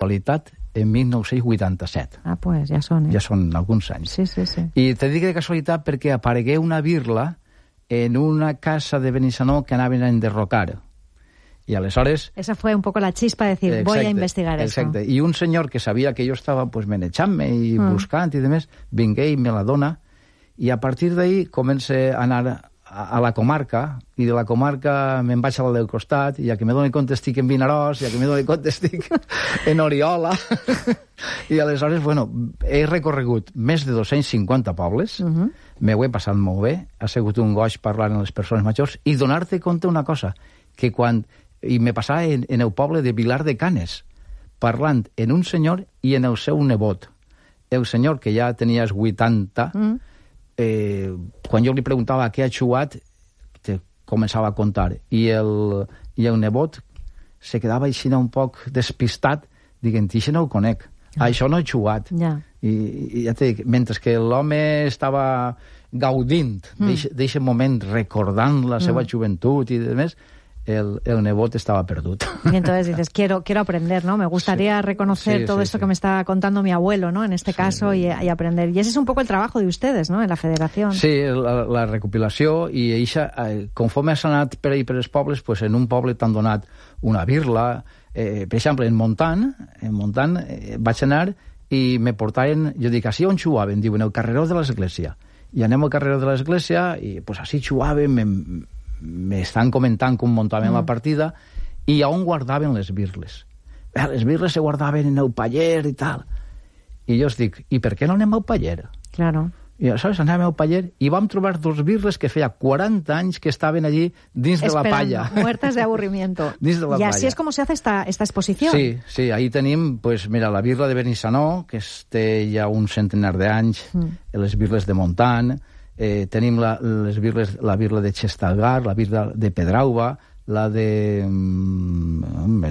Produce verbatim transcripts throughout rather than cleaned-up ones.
qualitat en mil nou-cents vuitanta-set. Ah, pues ja són, eh? Ja són alguns anys. Sí, sí, sí. I te dic de casualitat perquè aparegué una birla en una casa de Benissanó que anaven a enderrocar. Y aleshores... Esa fue un poco la chispa de decir, exacte, voy a investigar exacte. eso. Y un senyor que sabia que jo estava pues, menejant-me i mm. buscant i demés, vingué i me la dona, i a partir d'ahí comença a anar a, a la comarca, i de la comarca me'n vaig a la del costat, i a que me doni compte estic en Vinaròs, i a que me doni compte estic en Oriola. I aleshores, bueno, he recorregut més de dos-cents cinquanta pobles, uh -huh. me ho he passat molt bé, ha sigut un goig parlar amb les persones majors, i donar-te compte una cosa, que quan... I me passava en, en el poble de Vilar de Canes, parlant en un senyor i en el seu nebot. El senyor, que ja tenia vuitanta, mm. eh, quan jo li preguntava a què ha jugat, te començava a contar. I el, i el nebot se quedava així un poc despistat, dient, això no ho conec, ah. això no he jugat. Yeah. I, i ja te dic, mentre que l'home estava gaudint mm. d'aquest moment, recordant la seva mm. joventut i demés, El, el nebot estaba perduto. Y entonces dices, quiero, quiero aprender, ¿no? Me gustaría sí, reconocer sí, todo sí, esto sí. que me está contando mi abuelo, ¿no? En este sí. caso, y, y aprender. Y ese es un poco el trabajo de ustedes, ¿no? En la federación. Sí, la, la recopilació, i eixa, eh, conforme has anat per ahí per els pobles, pues en un poble t'han donat una birla. Eh, per exemple, en Montant, en Montant eh, vaig anar i me portaven, jo dic, així on jugaven? Diuen, el carreró de l'església. I anem al carreró de l'església i pues així jugaven, me, m'estan comentant com muntaven mm. la partida i on guardaven les birles. Eh, les birles se guardaven en el paller i tal. I jo us dic, i per què no anem al paller? Claro. I aleshores anàvem al paller i vam trobar dos birles que feia quaranta anys que estaven allí dins Esperando, de la palla. muertas de aburrimiento. Dins de la y palla. así es como se hace esta, esta exposición. Sí, sí, ahí tenim, pues, mira, la birla de Benissanó, que té ja un centenar d'anys, mm. les birles de Montant, Eh, tenim la, les birles, la birla de Xestalgar, la birla de Pedrauba, la de... Mm,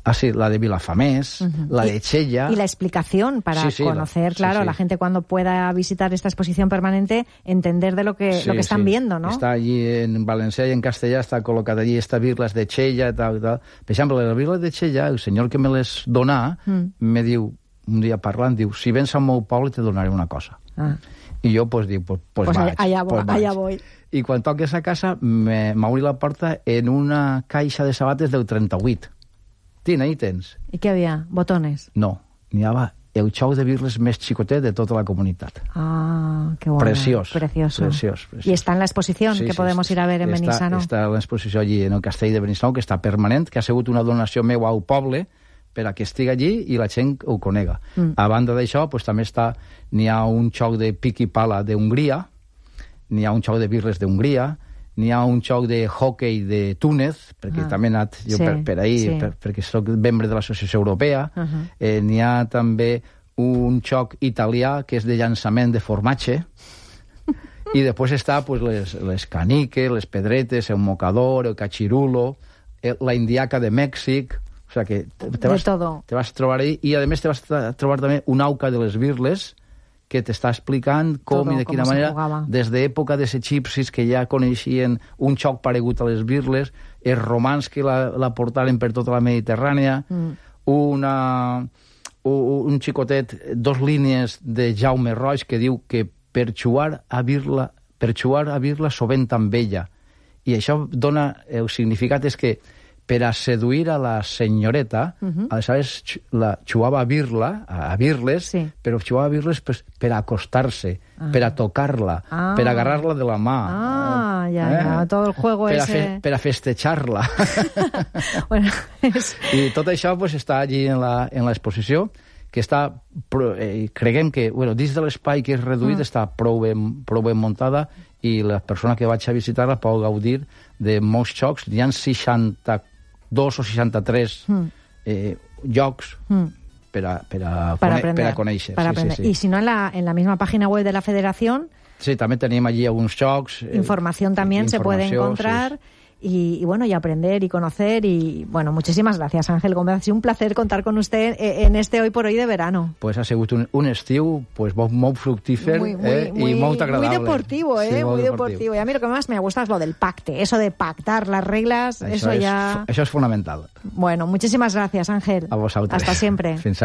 ah, sí, la de Vilafamés, uh-huh. la de Chella... Y la explicación para sí, sí, conocer, la, claro, sí, sí. la gente cuando pueda visitar esta exposición permanente, entender de lo que, sí, lo que están sí. viendo, ¿no? Està allí en valencià i en castellà, està col·locat allí esta birla de Chella i tal, tal. Per exemple, la birla de Chella, el senyor que me les donà, mm. me diu, un dia parlant, diu, si vens al meu poble te donaré una cosa. Ah. I jo, pues, dic, pues, pues, pues vaig. Allà, pues allà voy. I quan toques a casa, m'obri la porta en una caixa de sabates del trenta-vuit. Tina, ahí tens. I què havia? Botones? No, n'hi havia el xou de birles més xicotet de tota la comunitat. Ah, qué bueno. Preciós. Precioso. Preciós, preciós. Y está en la exposición sí, que sí, podemos sí, ir a ver en està, Benissanó. Està en l'exposició allí en el castell de Benissanó, que està permanent, que ha sigut una donació meva al poble per a que estigui allí i la gent ho conega. Mm. A banda d'això, pues, també està, n'hi ha un xoc de pic i pala d'Hongria, n'hi ha un xoc de birles d'Hongria, n'hi ha un xoc de hockey de Túnez, perquè ah, també he anat jo sí, per, per ahir, sí. per, perquè soc membre de l'Associació Europea. Uh -huh. eh, n'hi ha també un xoc italià que és de llançament de formatge, i després està pues, les, les caniques, les pedretes, el mocador, el cachirulo, el, la indiaca de Mèxic. O sea que te, te, vas, te vas trobar ahí, i a més te vas trobar també un auca de les birles que t'està explicant com todo, i de quina manera, des d'època dels egipcis que ja coneixien un xoc paregut a les birles, els romans que la, la portaren per tota la Mediterrània, mm. una, un, un xicotet, dos línies de Jaume Roig que diu que per jugar a birla, per jugar a birla sovint amb ella. I això dona, el significat és que per a seduir a la senyoreta, uh-huh. aleshores la jugava a birla, a birles, sí. però jugava a birles pues, per a acostar-se, ah. per a tocar-la, ah. per a agarrar-la de la mà. Ah, eh? ja, ja, tot el juego per ese... A fe, per a festejar-la. bueno, és... I tot això pues, està allí en l'exposició, que està, eh, creguem que, bueno, dins de l'espai que és reduït, mm. està prou ben, prou ben muntada, i la persona que vaig a visitar-la pot gaudir de molts jocs. Hi ha seixanta-dos o seixanta-tres mm. eh, jocs mm. per, a, per, a para cone per a conèixer. Para sí, sí, sí. Y si no, en la, en la misma página web de la Federación... Sí, també tenim allí alguns jocs. Información eh, también informació, se puede encontrar... Sí. y, y bueno, y aprender y conocer. Y bueno, muchísimas gracias, Ángel Gómez. Ha sido un placer contar con usted en este Hoy por Hoy de verano. Pues ha sigut un, un estiu pues, molt fructífer muy, muy, eh, muy, y muy agradable. Muy deportivo, ¿eh? Sí, muy deportivo. deportivo. Y a mí lo que más me gusta es lo del pacte, eso de pactar las reglas, eso, eso ya... Es, eso es fundamental. Bueno, muchísimas gracias, Ángel. A vosaltres. Hasta siempre. Fins